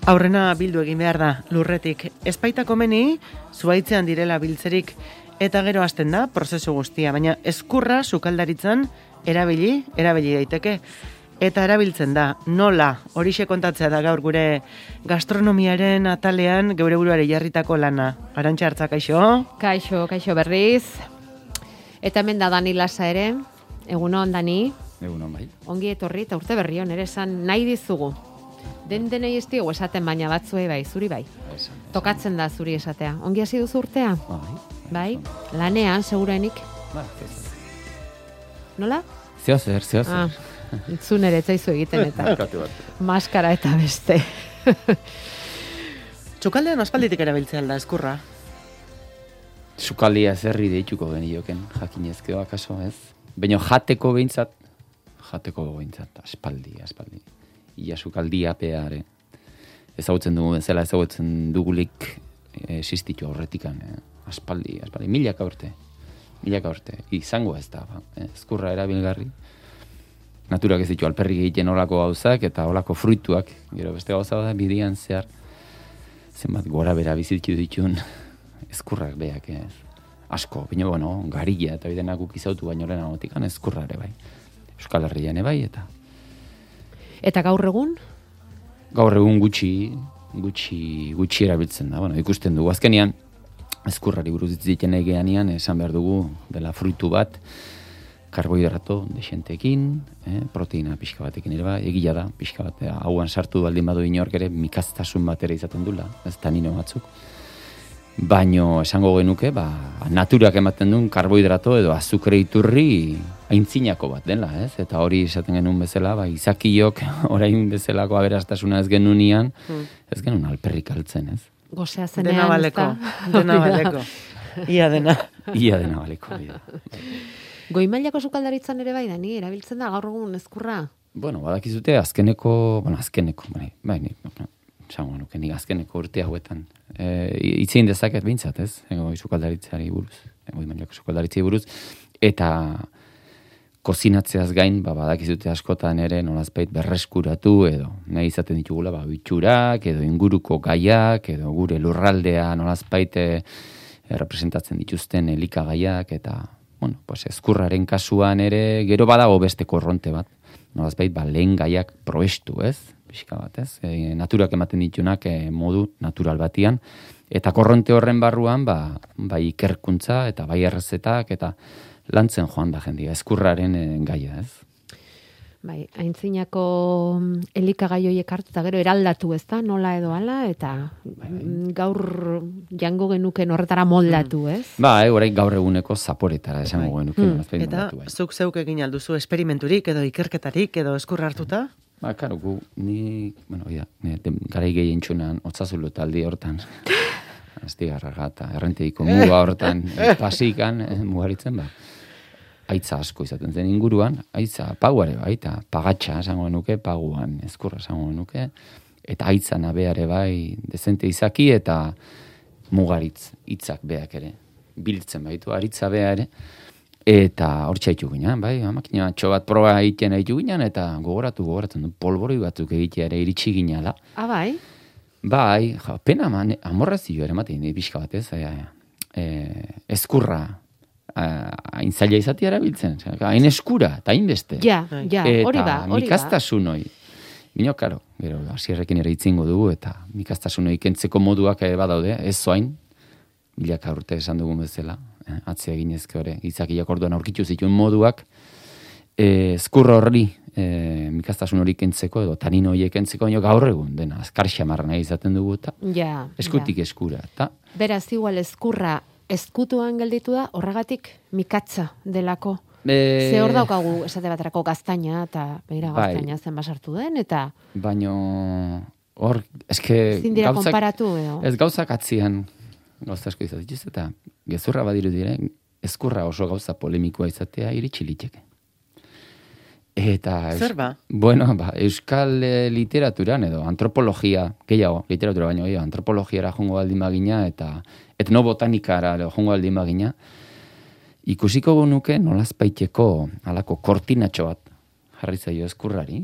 Aurrena bildu egin behar da, lurretik. Ezpaita komeni, zuaitzean direla biltzerik, eta gero hasten da, prozesu guztia, baina ezkurra sukaldaritzan erabili daiteke. Eta erabiltzen da, nola, horixe kontatzea da gaur gure gastronomiaren atalean geure buruari jarritako lana. Arantxa Hartza, kaixo? Kaixo berriz. Eta hemen da Dani Lasa ere, egunon Dani. Egunon bai. Ongi etorri eta urte berri on, ere esan nahi dizugu. Denei ez digu esaten, baina batzuei bai, zuri bai. Tokatzen da zuri esatea. Ongi hasi duzu urtea? Bai. Lanean, segurenik? Nola? Zeozer. Itzun ere etzaizu egiten eta maskara eta beste. Txukaldean aspalditik erabiltzea alda, ezkurra? Sukaldia zerri deituko genioken, jakinezkeo akaso, ez? Baina jateko behintzat, aspaldi. Ia sukaldia peare. Ezagutzen dugu bezala, ezagutzen dugulik existitu aurretikan. Aspaldi, milaka urte. Izango ez da, ezkurra erabilgarri. Naturak ez ditu alperrik egiten olako gauzak eta olako fruituak. Gero beste gauza da, bidian zehar zenbat gora bera bizitu ditun ezkurrak beak. Asko, baina garilla eta bidenak ukizautu baino lehen agotikan ezkurra ere bai. Euskal Herrian bai eta... Eta gaur egun? Gaur egun gutxi erabiltzen da. Ikusten dugu. Azkenean, ezkurrari buruz ditzen egeanian, esan behar dugu dela fruitu bat, karbohidrato desentekin, proteina pixka batekin ere bai, egila da, pixka bat, hauan sartu baldin badu inork ere, mikaztasun bat ere izaten dula, ez tanino batzuk. Baino esango genuke, naturak ematen duen karbohidrato edo azukre iturri aintzinako bat dela, ez? Eta hori esaten genuen bezala, izakiok orain bezalako aberastasuna ez genunian, ez genuen alperrik altzen, ez? Gozea zenean, dena baleko. Ia dena baleko. Goi mailako sukaldaritzan ere bai, Dani, erabiltzen da gaur egun ezkurra? Badakizute azkeneko, esango nuke nik azkeneko urte hauetan. Itzein dezaket bintzat, ez? Goi sukaldaritzari buruz, goi mailako sukaldaritzari buruz, eta kozinatzeaz gain, badakizute askotan ere nolazpait berreskuratu edo nahi izaten ditugula, bitxurak edo inguruko gaiak edo gure lurraldea nolazpait representatzen dituzten elikagaiak eta ezkurraren kasuan ere gero badago beste korronte bat. Nolazpait lehen gaiak probestu, ez? Pixka bat, ez? Naturak ematen ditunak modu natural batian eta korronte horren barruan ikerkuntza eta bai errezetak eta lantzen joan da jendia, ezkurraren gaia, ez? Bai, aintzinako elikagai horiek hartu eta gero eraldatu, ez da, nola edo ala, eta gaur jango genuken horretara moldatu, ez? Orain gaur eguneko zaporetara esango genuken. Eta zuk zeuk egin alduzu esperimenturik edo ikerketarik edo ezkurra hartuta? Karo, garai gehien txunan, otzazulo taldi hortan, astigarraga eta errenteiko muga hortan pasikan, mugaritzen, aitza asko izaten zen inguruan, aitza paguare bai, eta pagatxa esango nuke, paguan ezkurra esango nuke, eta aitza nabeare bai dezente izaki eta mugaritz hitzak beak ere, biltzen baitu, aritza bea ere, eta hor txaitu ginen, bai, makina bat proba egiten haitu ginen, eta gogoratzen du, polboroi batzuk egitea ere iritsi ginala. Bai? Bai, pena amorrazio ere maten, pixka bat ez, ezkurra, hain zaila izatea erabiltzen, hain eskura, eta hain beste. Ja, hori ba. Eta mikastasun hoi. Bino, karo, gero, asierrekin ere itzingo dugu, eta mikastasun hoi kentzeko moduak badaude, ez zoain, milaka urte esan dugun bezala, atzea ginezke hori, izakiak orduan aurkitu zituen moduak, ezkurra horri, mikastasun hori kentzeko, edo tanino horiek kentzeko, baina gaur egun, dena, azkar xamarra nahi izaten dugu, eta eskutik eskura. Beraz, igual ezkurra, ezkutuan gelditu da, horregatik mikatza delako. Ze hor daukagu esate baterako gaztaina, eta begira gaztaina zen basartu den, eta... Baina hor, eske... Zindira konparatu, edo? Ez gauzak atzian gauza asko izatituz, eta gezurra badiru diren, ezkurra oso gauza polemikoa izatea iritsi liteke. Eta... Zer ba? Euskal literaturan edo antropologia, gehiago, literatura baino gehiago, antropologiara jongo baldin bagina eta etnobotanikara jongo baldin bagina, ikusiko nuke nolazpaiteko alako kortinatxo bat jarri zaio ezkurrari,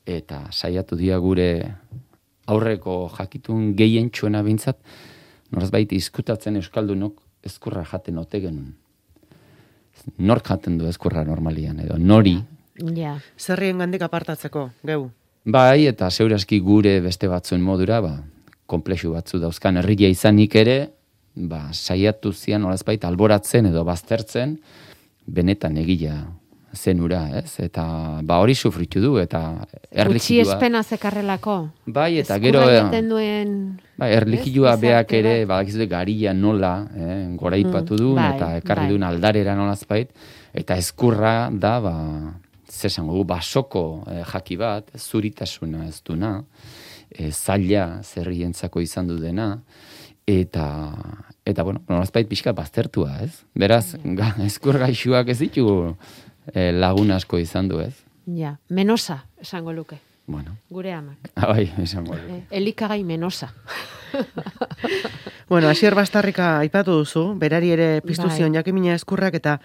eta saiatu dira gure aurreko jakitun gehien txuena bintzat, norazbait izkutatzen euskaldunok ezkurra jaten ote genuen. Nork jaten du ezkurra normalian, edo nori. Ja. Zerrien gandik apartatzeko, geu. Bai, eta zeuraski gure beste batzuen modura, komplexu batzu dauzkan herria izanik ere, saiatu zian norazbait alboratzen edo baztertzen, benetan egila zenura, ez? Eta hori sufritu du, eta Utsi espena zekarrelako. Bai, eta gero... duen... Bai, erlijioa beak ere, badakizute garia nola, goraipatu duen, eta ekarri duen aldarera nolazbait, eta ezkurra da, zesango du, basoko jaki bat, zuritasuna ez duna, zaila zerrientzako izan du dena, eta bueno, nolazbait pixka baztertua, ez? Beraz, ezkur gaixuak ez ditu lagun asko izan du, ez? Ja, menosa, esango luke. Bueno. Gure amak. Bai, esango luke. Elikagai menosa. Bueno, Asier Bastarrika aipatu duzu, berari ere piztu zion jakimina ezkurrak, eta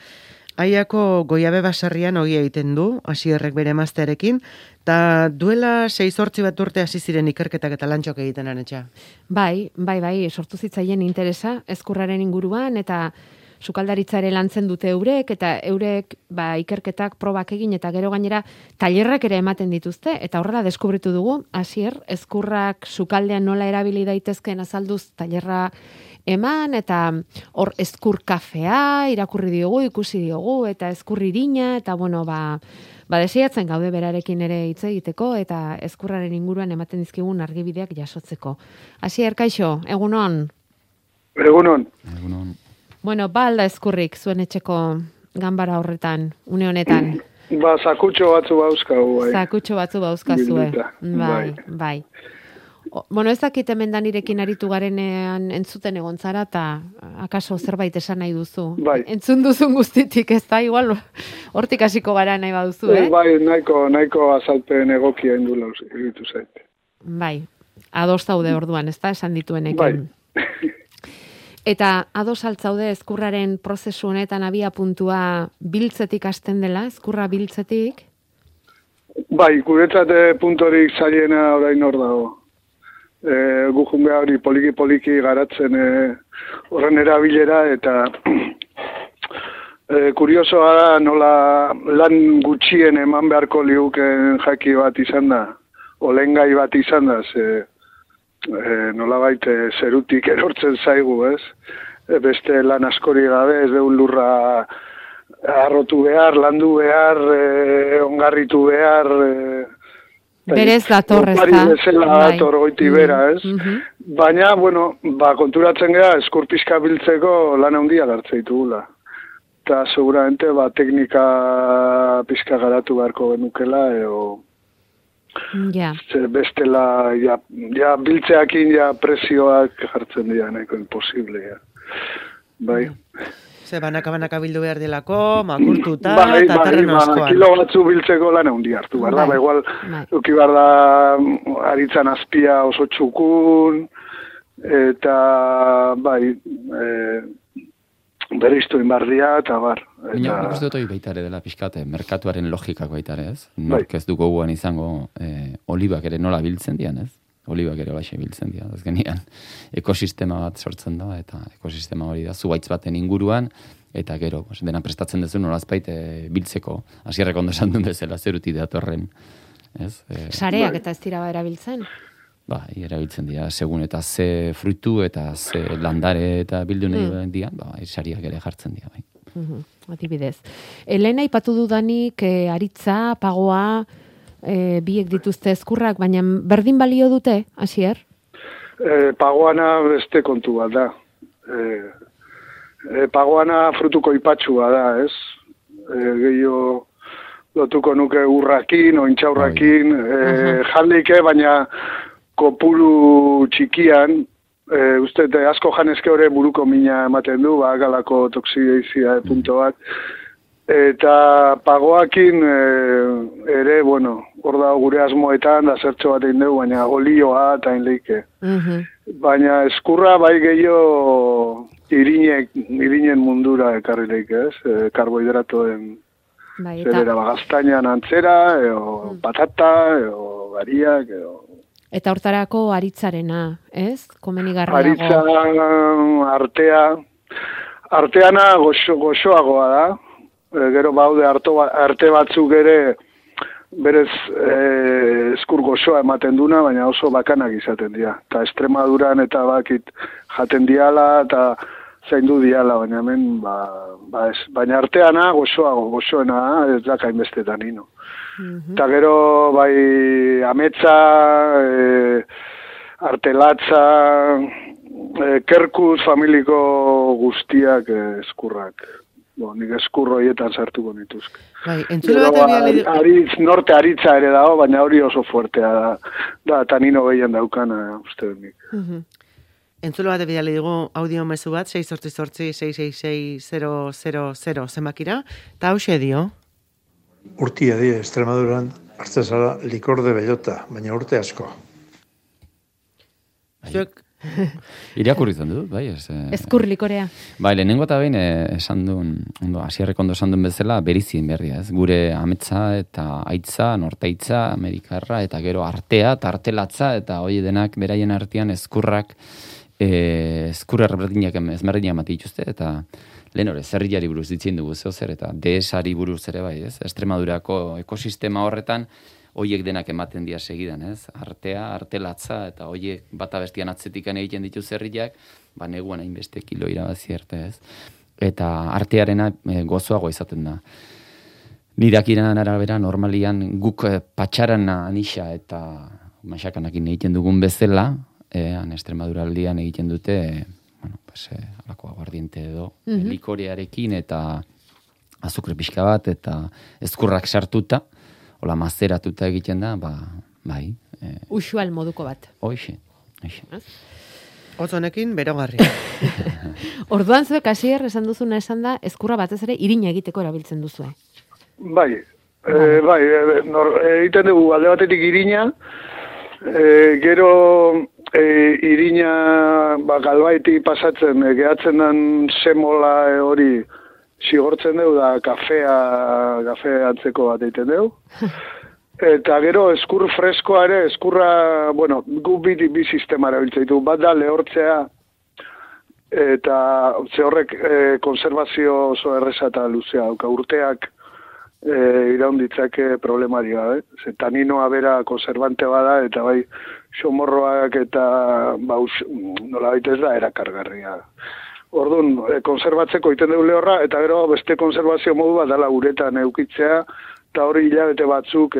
Aiako Goiabe baserrian ogi egiten du, Asierrek bere emaztearekin, eta duela 6-8 bat urte hasi ziren ikerketak eta lantxok egiten anetxa. Bai, sortu zitzaien interesa ezkurraren inguruan, eta sukaldaritza ere lantzen dute eurek, eta eurek ikerketak probak egin, eta gero gainera tailerrak ere ematen dituzte, eta horrela deskubritu dugu, Asier, ezkurrak sukaldean nola erabili daitezkeen azalduz tailerra eman, eta hor ezkur kafea irakurri diogu, ikusi diogu, eta ezkur irina, eta bueno, desiratzen gaude berarekin ere hitz egiteko, eta ezkurraren inguruan ematen dizkigun argibideak jasotzeko. Asier, kaixo, egunon? Egunon. Bueno, alda ezkurrik zuen etxeko ganbara horretan, une honetan. Zakutxo batzu bauzkagu, bai. Zakutxo batzu bauzkazue. Bai. Bueno, ez dakit hemen danirekin aritu garenean entzuten egon zara, eta akaso zerbait esan nahi duzu. Bai. Entzun duzun guztitik, ez da, igual, hortik hasiko gara nahi baduzu, Bai, nahiko azalpen egokia indula egitu zait. Bai, ados zaude orduan, ez da, esan dituenekin. Bai. Eta ados altzaude ezkurraren prozesu honetan abia puntua biltzetik hasten dela, ezkurra biltzetik? Bai, guretzat puntorik zailena orain hor dago. Gujun behar hori poliki garatzen horren erabilera, eta kuriosoa da nola lan gutxien eman beharko liuken jaki bat izan da, olengai bat izan da, nolabait zerutik erortzen zaigu, ez? Beste lan askori gabe, ez deun lurra arrotu behar, landu behar, ongarritu behar, berez dator, ez da? Pari bezala dator goiti bera, ez? Baina, bueno, konturatzen gara, ezkur pixka biltzeko lan handia hartze ditugula. Eta seguramente, teknika pixka garatu beharko genukela, bestela, biltzeakin, presioak jartzen dira, nahiko imposible, Bai. Banaka bildu behar dilako, makurtuta, eta terreno askoan. Kilo batzu biltzeko lan handi hartu, behar da? Igual, duki behar da, aritzan azpia oso txukun, eta, beriztu inbarria, eta bar. Nik uste dut hori baitare dela pixkate, merkatuaren logikak baitare, ez? Nork ez dugu guan izango olibak ere nola biltzen dian, ez? Olibak ere baixe biltzen dira, azkenean ekosistema bat sortzen da, eta ekosistema hori da zuhaitz baten inguruan, eta gero, dena prestatzen duzu nolazbait biltzeko, Asierrek ondo esan duen bezala zeruti datorren. Sareak eta ez dira erabiltzen? Erabiltzen dira, segun eta ze fruitu eta ze landare eta bildu nahi dian, sariak ere jartzen dira. Adibidez. Elena ipatu dudanik, aritza, pagoa, biek dituzte ezkurrak, baina berdin balio dute, Asier? Pagoana beste kontu bat da. Pagoana frutuko ipatxua da, ez? Gehiago lotuko nuke urrakin, ointxaurrakin, jaldike, baina kopuru txikian, uste asko janezke hori buruko mina ematen du, galako toxidezia punto bat, eta pagoakin ere, bueno, hor da gure asmoetan, da zertxo bat egin dugu, baina olioa eta inleike. Baina eskurra bai gehiago irinen mundura ekarri leike, ez? Karbohidratoen zerera, gaztainan antzera, patata, gariak, Eta hortarako aritzarena, ez? Komenigarriago. Aritza, arteana goxoagoa da. Gero baude arte batzuk ere berez eskur goxoa ematen duna, baina oso bakanak izaten dira. Eta Extremaduran eta bakit jaten diala eta zaindu diala, baina hemen ez. Baina arteana goxoena ez da hainbeste tanino. Eta gero bai ametsa, artelatza, kerkuz familiko guztiak eskurrak. Nik eskurro hietan sartuko nituzke. Bai, entzule bat norte aritza ere dago, baina hori oso fuertea da tanino gehien daukana, uste nik. Entzule bat bidali dugu audio mezu bat, 688-666-000 zenbakira, eta hause dio. Urtia die, Extremaduran, hartzen zara likor de bellota, baina urte asko. Zuek... Irakurri izan dut, bai. Eskur likorea. Bai, lehenengo eta behin esan duen, hasierrek ondo esan duen bezala, berizien berria, ez? Gure ametsa eta aitza, nortaitza, amerikarra, eta gero artea, tartelatza, eta hoi denak beraien artean eskurrak, eskurra ezberdinak emate dituzte, eta lehen hori, zerriari buruz ditzen dugu zehozer, eta desari buruz ere bai, ez? Extremadurako ekosistema horretan, hoiek denak ematen dira segidan, ez? Artea, artelatza, eta hoiek bata bestian atzetikan egiten ditu zerriak, neguan hainbeste kilo irabazi arte, ez? Eta artearena gozoago izaten da. Nirakiran arabera, normalian guk patxaran anisa eta masakanakin egiten dugun bezala, Extremaduraldian egiten dute, alako aguardiente edo, likorearekin eta azukre pixka bat, eta eskurrak sartuta, hola mazeratuta egiten da, bai. Usual moduko bat. Hoxe. Otzonekin berogarri. Orduan zuek hasier esan duzuna esan da, eskurra batez ere irina egiteko erabiltzen duzue. Bai, egiten dugu alde batetik irina, gero irina galbaiti pasatzen, gehatzen den semola hori sigortzen dugu da kafe antzeko bat egiten dugu. Eta gero eskur freskoa ere, eskurra, gu bi sistema erabiltzen ditu. Bat da lehortzea eta ze horrek konservazio oso erreza eta luzea. Urteak iraunditzake problemari gabe. Ze taninoa bera konservante bada eta bai xomorroak eta nola baita ez da erakargarria. Orduan, konservatzeko iten dugu lehorra, eta gero beste konservazio modu bat dala uretan eukitzea, eta hori hilabete batzuk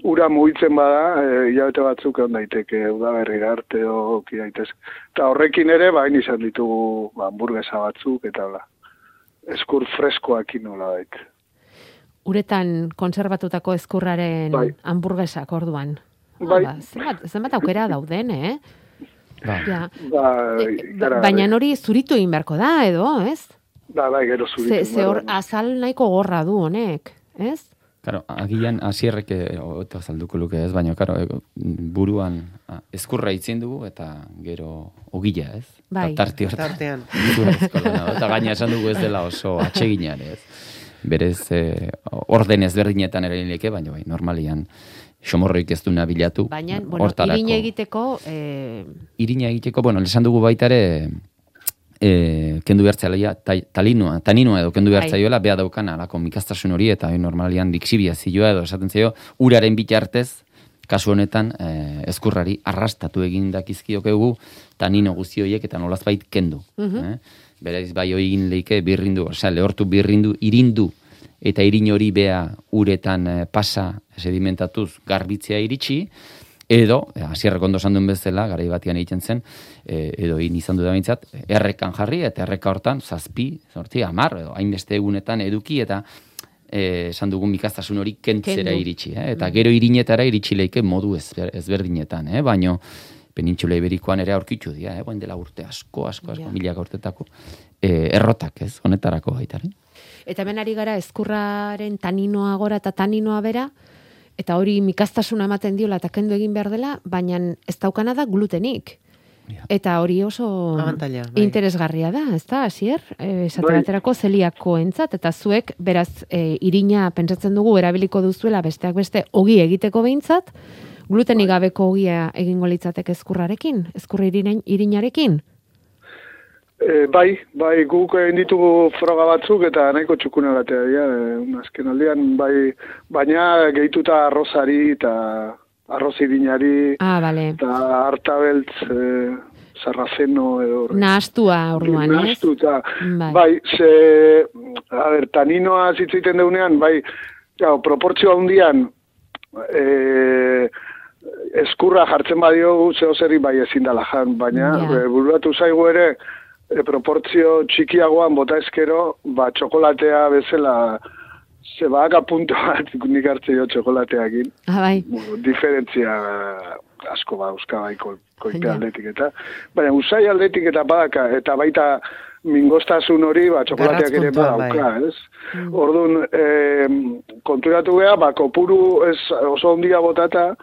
ura mugitzen bada, hilabete batzuk egon daiteke, udaberrira arte oki daitez. Eta horrekin ere, bain izan ditugu hamburguesa batzuk, eta eskur freskoakin nola daik. Uretan konserbatutako eskurraren hamburguesak orduan. Zenbat aukera dauden, baina hori zuritu egin beharko da, edo, ez? Bai, gero zuritu. Ze hor azal nahiko gorra du honek, ez? Karo, agian hasierrek azalduko luke ez, baina buruan eskurra itzen dugu eta gero ogila, ez? Bai. Tartean. Eta gaina esan dugu ez dela oso atseginan, ez? Berez orden ezberdinetan ere leke, baina normalian xomorroik ez duna bilatu. Baina, irina egiteko... Irina egiteko, esan dugu baita ere, kendu behartzaia, taninoa edo kendu behartzaioela, beha daukan alako mikastasun hori, eta normalian dikzibia zioa edo esaten zaio, uraren bitartez, kasu honetan, eskurrari arrastatu egin dakizkiokegu, tanino guztioiek eta nolazbait kendu. Bereiz, bai egin leike birrindu, lehortu birrindu, irindu, eta irin hori bea uretan pasa sedimentatuz garbitzea iritsi, edo, hasierrek ondo esan duen bezala, garai batian egiten zen, edo egin izan du da bintzat, errekan jarri, eta erreka hortan, 7, 10, edo hainbeste egunetan eduki, eta esan dugun mikastasun hori kentzera iritsi. Eta gero irinetara iritsi leike modu ezberdinetan, baino Penintsula Iberikoan ere aurkitu dira, dela urte asko, milaka urtetako, errotak, ez, honetarako baitaren. Eta hemen ari gara eskurraren taninoa gora eta taninoa bera, eta hori mikastasuna ematen diola eta kendu egin behar dela, baina ez daukana da glutenik. Eta hori oso interesgarria da, ez da, hasier? Esate baterako zeliakoentzat, eta zuek, beraz, irina pentsatzen dugu erabiliko duzuela besteak beste ogi egiteko behintzat, Glutenik gabeko ogia egingo litzateke ezkurrarekin? Ezkurra irinarekin? Bai, guk egin ditugu froga batzuk eta nahiko txukunagatea dira, azken aldean, bai, baina gehituta arrozari eta arroz irinari, eta hartabeltz, sarrazeno edo... Nahastua orduan, ez? Nahastuta, bai, taninoa zitzaiten deunean, bai, proportzio handian, eskurra jartzen badio zehozeri bai ezin dala jan, baina bururatu zaigu ere, proportzio txikiagoan bota ezkero, txokolatea bezala, zebaka punto bat nik hartze jo txokolateakin. Bai. Diferentzia asko euska bai koipe aldetik eta. Baina usai aldetik eta badaka, eta baita mingostasun hori, txokolateak ere badauka, ez? Orduan, konturatu geha, kopuru oso ondia botata,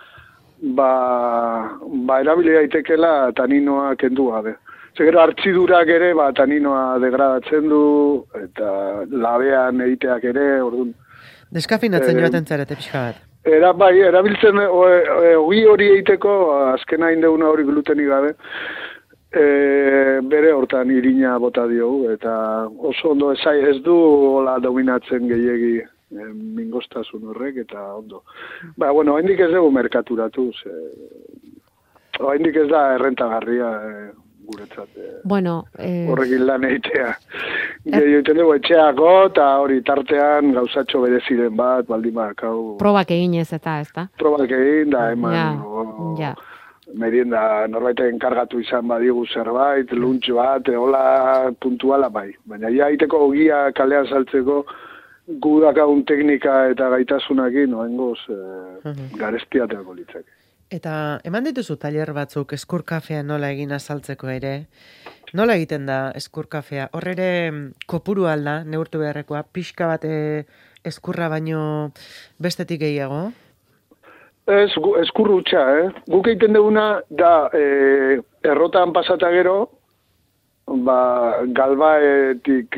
erabili daitekela taninoa kendu gabe. Gero hartzidurak ere, taninoa degradatzen du, eta labean egiteak ere, orduan. Deskafinatzen joaten zarete pixka bat. Erabiltzen, ogi hori egiteko, azkena indeuna hori glutenik gabe, bere hortan irina bota diogu, eta oso ondo ez du hola dominatzen gehiegi mingostasun horrek, eta ondo. Haindik ez dugu merkaturatu, haindik ez da errentagarria, guretzat. Horrekin lan egitea. Egiten dugu etxeako, eta hori tartean gauzatxo bereziren bat, baldin bakau. Probak egin ez eta, ez da? Probak egin, da eman, merienda norbaiten kargatu izan badigu zerbait, lunch bat, hola puntuala bai. Baina ja egiteko ogia kalean saltzeko, gu dakagun teknika eta gaitasunakin, noengoz, garestiateako litzake. Eta eman dituzu tailer batzuk eskurkafea nola egin azaltzeko ere? Nola egiten da eskurkafea? Horre ere kopuru alda, neurtu beharrekoa, pixka bat eskurra baino bestetik gehiago? Eskurru utxa, Guk egiten duguna da errotan pasata gero, galbaetik,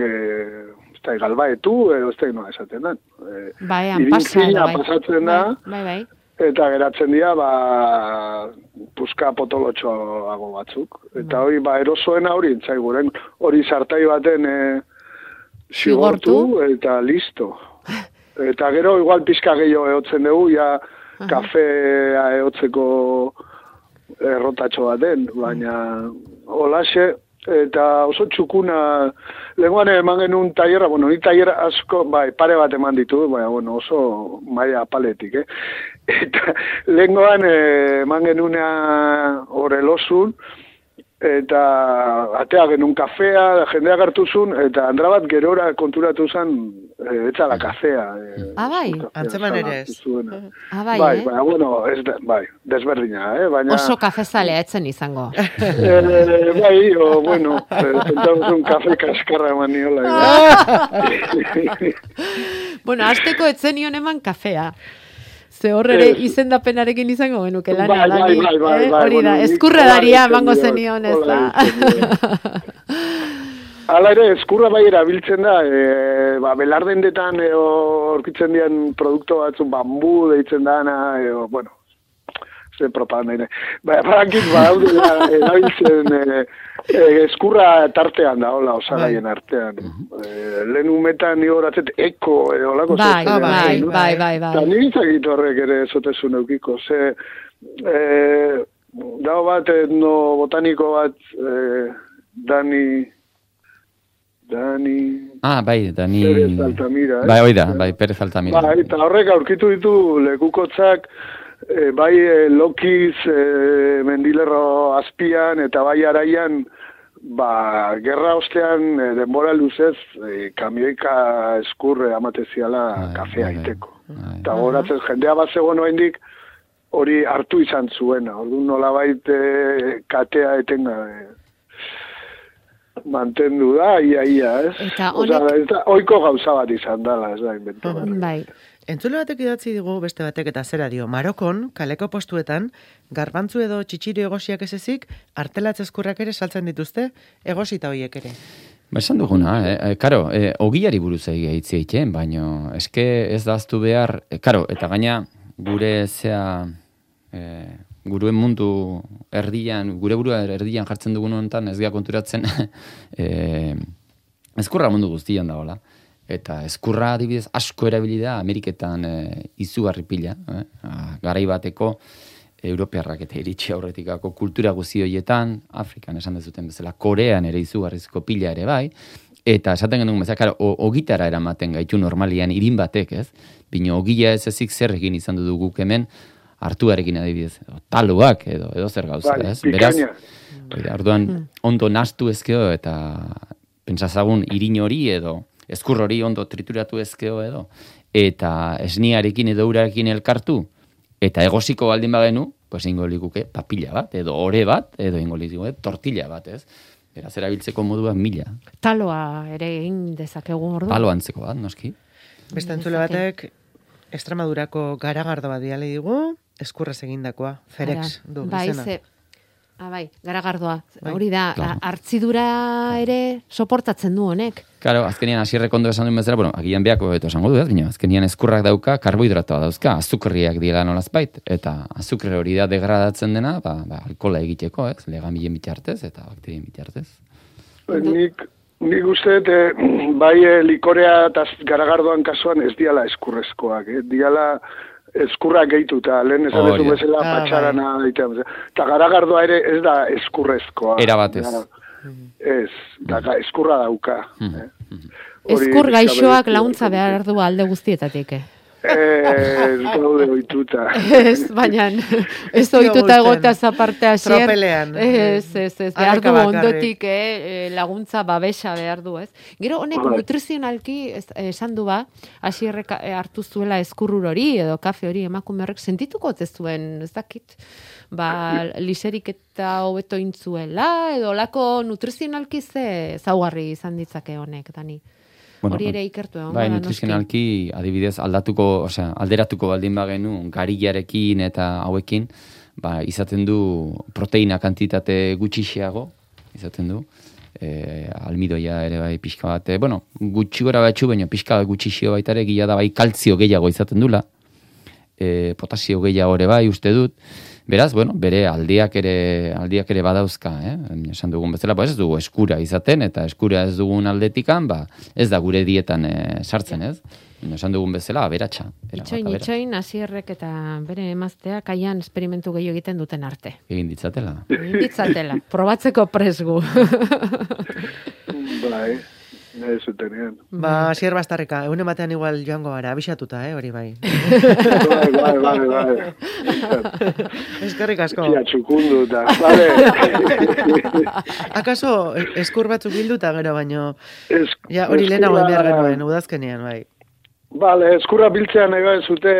galbaetu, edo ez da noa esaten da. Irintzina pasatzen da. Bai. Eta geratzen dira, puska potolotxoago batzuk. Eta hori, erosoena hori entzaigu, hori sartai baten zigortu eta listo. Eta gero, igual pizka gehiago ehotzen dugu, kafea ehotzeko errotatxo baten, baina holaxe, eta oso txukuna, lehenguan eman genuen tailerra, ni tailerra asko, pare bat eman ditu, oso maila paletik, Eta lehenguan eman genuna horrelosun, eta atea genuen kafea, jendea gartuzun, eta andra bat gerora konturatu zen, etzala kafea. Bai? Antzeman ere ez. Bai, desberdina, baina... Oso kafezalea etzen izango. Zentaguzun kafe kaskarra eman niola. Azteko etzen nion eman kafea. Ze horre izendapenarekin izango genuke lana. Hori da, eskurra daria emango zenion, ez da. Hala ere, eskurra bai erabiltzen da, belardendetan orkitzen dian produktu batzu, bambu deitzen dana, ze propaganda. Barakit erabiltzen eskurra tartean da, hola, osagaien artean. Lehen umetan nio horatzet eko, holako bai. Eta nire izakit horrek ere zotezun eukiko, ze dago bat, botaniko bat, Dani... Dani... Pérez Altamira, Bai, oida, Pérez Altamira. Eta horrek aurkitu ditu lekukotzak, bai Lokiz, Mendilerro azpian, eta bai araian, gerra ostean, denbora luzez, kamioika eskurre amateziala kafea iteko. Eta horatzen jendea bat zegoen oendik, hori hartu izan zuena. Orduan nolabait katea etenga mantendu da, ia, ez? Eta honek... Oiko gauza bat izan dela, ez da, invento. Bai. Entzule batek idatzi digu beste batek eta zera dio. Marokon, kaleko postuetan, garbantzu edo txitsiri egosiak ez ezik, artelatz eskurrak ere saltzen dituzte, egosita horiek ere. Esan duguna, karo, ogiari buruz egitzi baina eske ez daztu behar, karo, eta gaina gure guruen mundu erdian, gure burua erdian jartzen dugun honetan, ez gara konturatzen, eskurra mundu guztian dagoela. Eta eskurra adibidez asko erabili da Ameriketan izugarri pila. Garai bateko Europearrak eta iritsi aurretikako kultura guzti horietan, Afrikan esan dezuten bezala, Korean ere izugarrizko pila ere bai, eta esaten genuen bezala, karo, ogitara eramaten gaitu normalian irin batek, ez? Bino ogila ez ezik zer egin izan duguk hemen, hartuarekin adibidez, taloak edo zer gauza, ez? Beraz, orduan ondo nastu ezkeo eta pentsazagun irin hori edo eskur hori ondo trituratu ezkeo edo, eta esniarekin edo urarekin elkartu, eta egosiko baldin bagenu, pues ingo likuke papilla bat, edo ore bat, edo ingo likuke tortilla bat, ez? Beraz, erabiltzeko moduak mila. Taloa ere egin dezakegu ordu. Talo antzeko bat, noski. Beste entzule batek, Extremadurako garagardo bat diale digu, eskurrez egindakoa, Ferex du izena. Bai, garagardoa. Hori da, hartzidura ere soportatzen du honek. Claro, azkenian Asierrek ondo esan duen bezala, bueno, agian beako beto esango du, ez? Baina azkenian eskurrak dauka, karbohidratoa dauzka, azukerriak diela nolazbait, eta azukre hori da degradatzen dena, alkola egiteko, ez? Legamilen bitartez eta bakterien bitartez. Nik uste, bai likorea eta garagardoan kasuan ez diala eskurrezkoak, diala eskurrak gehituta, lehen esan ez du bezala patxarana daitean. Eta garagardoa ere ez da eskurrezkoa. Era batez. Ez, eskurra dauka. Eskur gaixoak launtza behar du alde guztietatik, Ez gaude oituta. Ez, baina ez oituta egotea zaparte hasier. Tropelean. Ez, behar du ondotik laguntza babesa behar du, ez? Gero honek nutrizionalki esan du hasierrek hartu zuela eskurrur hori edo kafe hori emakume horrek sentituko ez zuen, ez dakit, liserik eta hobeto intzuela edo lako nutrizionalki ze zaugarri izan ditzake honek, Dani. Bueno, hori ere ikertu egon. Bai, nutrizionalki adibidez alderatuko baldin bagenu garillarekin eta hauekin, izaten du proteina kantitate gutxixeago, izaten du. Almidoia ere bai pixka bat, gutxi gora batxu, baina pixka bat gutxixio baita ere gila da bai kaltzio gehiago izaten dula. Potasio gehiago ere bai uste dut. Beraz, bere aldiak ere badauzka, esan dugun bezala, ez dugu eskura izaten, eta eskura ez dugun aldetikan, ez da gure dietan sartzen, ez? Esan dugun bezala, aberatsa. Itxoin, Asierrek eta bere emazteak aian esperimentu gehiago egiten duten arte. Egin ditzatela. Probatzeko presgu. Bai. Ez zutenean. Asier Bastarrika, egunen batean igual joango gara, abixatuta, hori bai. Bai. Eskerrik asko. Tia txukundu eta, bale. Akaso, eskur batzuk bilduta gero, baino, hori lehenago behar genuen, udazkenean, bai. Bale, eskurra biltzean nahi bai zute...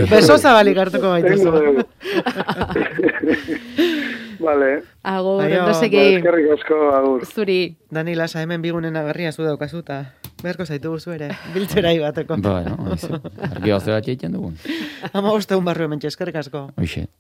Beso zabalik hartuko baituzu. Vale. Agur, no segi. Eskerrik asko, agur. Zuri. Dani Lasa, hemen bigunen agarria zu daukazuta. Beharko zaitu guzu ere, biltzerai bateko. Argi bat egiten dugun. 15 barru hemen eskerrik asko. Hoxe.